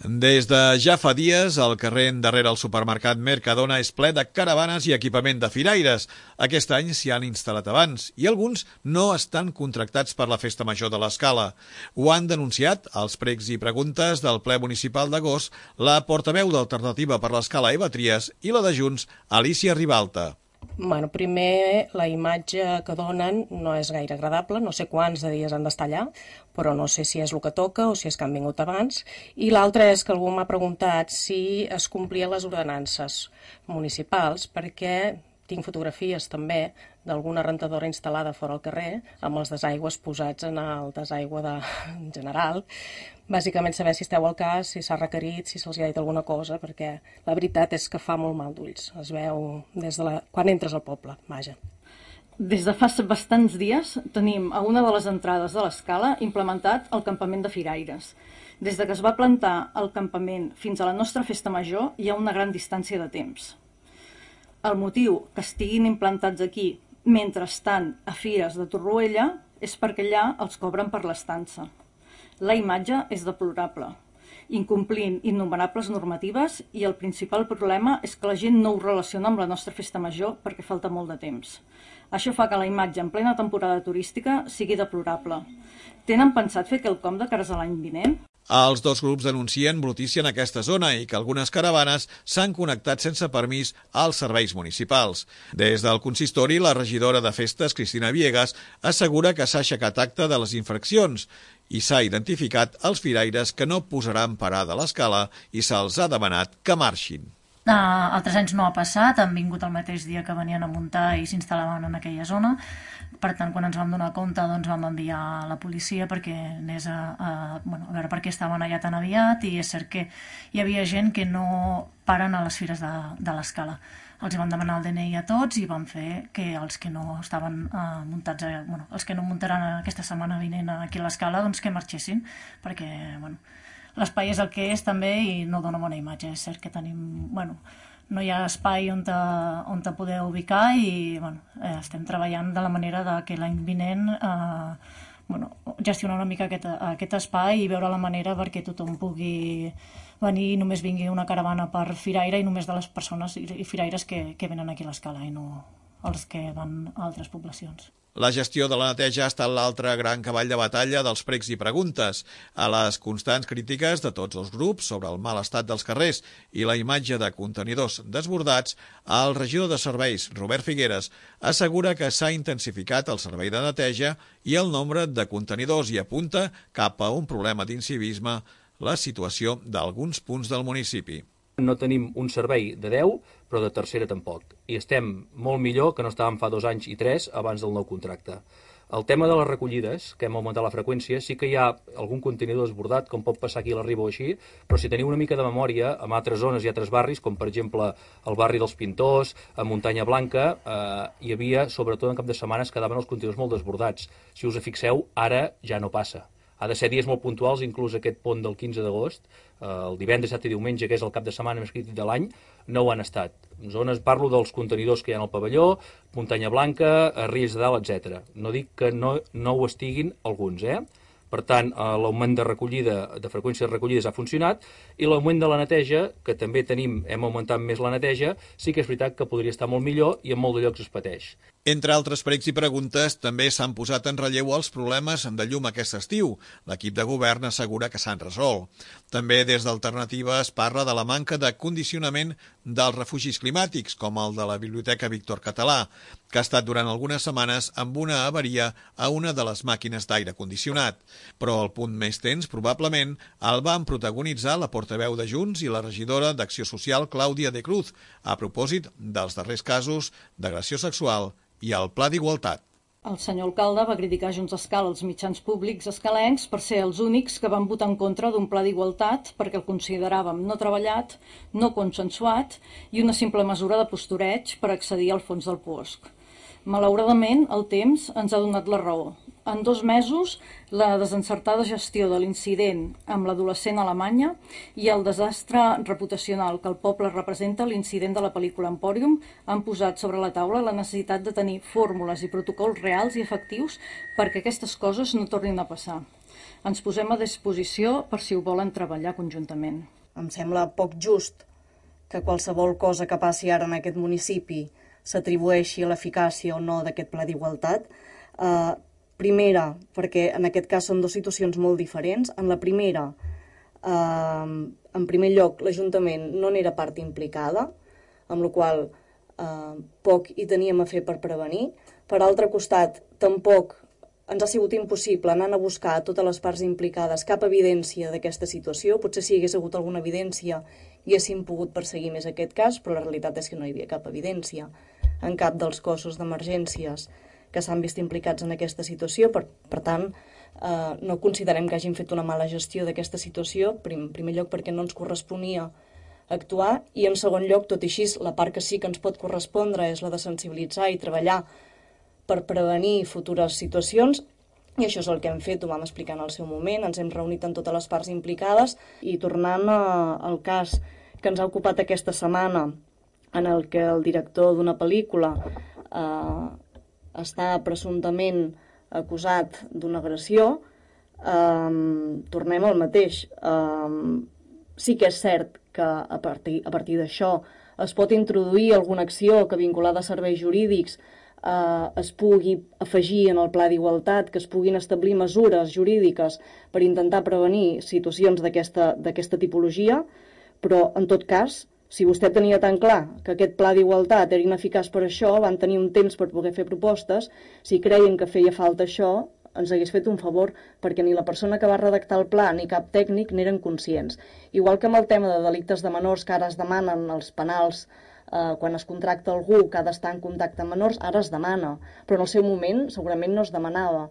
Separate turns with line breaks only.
Des de ja fa dies, el carrer darrere el supermercat Mercadona és ple de caravanes i equipament de firaires. Aquest any s'hi han instal·lat abans i alguns no estan contractats per la Festa Major de l'Escala. Ho han denunciat als pregs i preguntes del ple municipal d'agost la portaveu d'Alternativa per l'Escala Eva Trias i la de Junts, Alicia Ribalta.
Primer, la imatge que donen no és gaire agradable, no sé quants de dies han d'estar allà, però no sé si és el que toca o si és que han vingut abans. I l'altre és que algú m'ha preguntat si es complien les ordenances municipals, perquè tinc fotografies també d'alguna rentadora instal·lada fora al carrer amb els desaigües posats en el desaigüe general. Bàsicament saber si esteu al cas, si s'ha requerit, si se'ls ha dit alguna cosa, perquè la veritat és que fa molt mal d'ulls. Es veu des de quan entres al poble, vaja.
Des de fa bastants dies tenim a una de les entrades de l'Escala implementat el campament de firaires. Des de que es va plantar el campament fins a la nostra festa major hi ha una gran distància de temps. El motiu que estiguin implantats aquí mentre estan a fires de Torroella és perquè allà els cobren per l'estança. La imatge és deplorable, incomplint innumerables normatives, i el principal problema és que la gent no ho relaciona amb la nostra festa major perquè falta molt de temps. Això fa que la imatge en plena temporada turística sigui deplorable. Tenen pensat fer quelcom de cares a l'any vinent?
Els dos grups denuncien brutícia en aquesta zona i que algunes caravanes s'han connectat sense permís als serveis municipals. Des del consistori, la regidora de festes, Cristina Viegas, assegura que s'ha aixecat acta de les infraccions i s'ha identificat els firaires que no posaran parada a l'Escala i se'ls ha demanat que marxin.
Altres anys no ha passat, han vingut el mateix dia que venien a muntar i s'instal·laven en aquella zona. Per tant, quan ens vam donar compte, doncs vam enviar la policia perquè anés a veure per què estaven allà tan aviat, i és cert que hi havia gent que no paren a les fires de l'Escala. Els van demanar el DNI a tots i van fer que els que no estaven muntats, els que no muntaran aquesta setmana vinent aquí a l'Escala, doncs que marxessin, perquè, l'espai és el que és també i no dona bona imatge. És cert que tenim, no hi ha espai on te poder ubicar i estem treballant de la manera que l'any vinent gestionar una mica aquest espai i veure la manera perquè tothom pugui venir i només vingui una caravana per firaire i només de les persones i firaires que venen aquí a l'Escala i no els que van a altres poblacions.
La gestió de la neteja ha estat l'altre gran cavall de batalla dels pregs i preguntes. A les constants crítiques de tots els grups sobre el mal estat dels carrers i la imatge de contenidors desbordats, el regidor de serveis, Robert Figueres, assegura que s'ha intensificat el servei de neteja i el nombre de contenidors i apunta cap a un problema d'incivisme la situació d'alguns punts del municipi.
No tenim un servei de 10, però de tercera tampoc. I estem molt millor que no estàvem fa 2 anys i 3 abans del nou contracte. El tema de les recollides, que hem augmentat la freqüència, sí que hi ha algun contenidor desbordat, com pot passar aquí a la Riba o així, però si teniu una mica de memòria, en altres zones i altres barris, com per exemple el barri dels Pintors, a Muntanya Blanca, hi havia, sobretot en cap de setmanes, quedaven els contenidors molt desbordats. Si us fixeu, ara ja no passa. Ha de ser dies molt puntuals, inclús aquest pont del 15 d'agost, el divendres, dissabte i diumenge, que és el cap de setmana més crític de l'any, no ho han estat. En zones parlo dels contenidors que hi ha al pavelló, Muntanya Blanca, Riells de Dalt, etc. No dic que no ho estiguin alguns, Per tant, l'augment de freqüència de recollides ha funcionat, i l'augment de la neteja, que també hem augmentat més la neteja, sí que és veritat que podria estar molt millor i en molts de llocs es pateix.
Entre altres pregs i preguntes, també s'han posat en relleu els problemes de llum aquest estiu. L'equip de govern assegura que s'han resolt. També des d'Alternativa es parla de la manca de condicionament dels refugis climàtics, com el de la Biblioteca Víctor Català, que ha estat durant algunes setmanes amb una avaria a una de les màquines d'aire condicionat. Però el punt més tens, probablement, el van protagonitzar la portaveu de Junts i la regidora d'Acció Social, Clàudia de Cruz, a propòsit dels darrers casos d'agressió sexual i el Pla d'Igualtat.
El senyor alcalde va criticar Junts Escala als mitjans públics escalencs per ser els únics que van votar en contra d'un pla d'igualtat perquè el consideràvem no treballat, no consensuat i una simple mesura de postureig per accedir al fons del puosc. Malauradament, el temps ens ha donat la raó. En 2 mesos, la desencertada gestió de l'incident amb l'adolescent alemanya i el desastre reputacional que el poble representa l'incident de la pel·lícula Empòrium han posat sobre la taula la necessitat de tenir fórmules i protocols reals i efectius perquè aquestes coses no tornin a passar. Ens posem a disposició per si ho volen treballar conjuntament.
Em sembla poc just que qualsevol cosa que passi ara en aquest municipi s'atribueixi a l'eficàcia o no d'aquest pla d'igualtat. Primera, perquè en aquest cas són dues situacions molt diferents. En la primera, en primer lloc, l'Ajuntament no n'era part implicada, amb la qual poc hi teníem a fer per prevenir. Per altre costat, tampoc ens ha sigut impossible anar a buscar a totes les parts implicades cap evidència d'aquesta situació. Potser si hi hagués hagut alguna evidència hi haguéssim pogut perseguir més aquest cas, però la realitat és que no hi havia cap evidència en cap dels cossos d'emergències que s'han vist implicats en aquesta situació. Per tant, no considerem que hagin fet una mala gestió d'aquesta situació, en primer lloc perquè no ens corresponia actuar, i en segon lloc, tot i així, la part que sí que ens pot correspondre és la de sensibilitzar i treballar per prevenir futures situacions, i això és el que hem fet, ho vam explicar en el seu moment, ens hem reunit amb totes les parts implicades, i tornant al cas que ens ha ocupat aquesta setmana, en el que el director d'una pel·lícula està presumptament acusat d'una agressió, tornem al mateix. Sí que és cert que a partir d'això es pot introduir alguna acció que vinculada a serveis jurídics es pugui afegir en el pla d'igualtat, que es puguin establir mesures jurídiques per intentar prevenir situacions d'aquesta tipologia, però en tot cas, si vostè tenia tan clar que aquest pla d'igualtat era ineficaç per això, van tenir un temps per poder fer propostes. Si creien que feia falta això, ens hagués fet un favor, perquè ni la persona que va redactar el pla ni cap tècnic n'eren conscients. Igual que amb el tema de delictes de menors, que ara es demanen els penals quan es contracta algú que ha d'estar en contacte amb menors, ara es demana, però en el seu moment segurament no es demanava.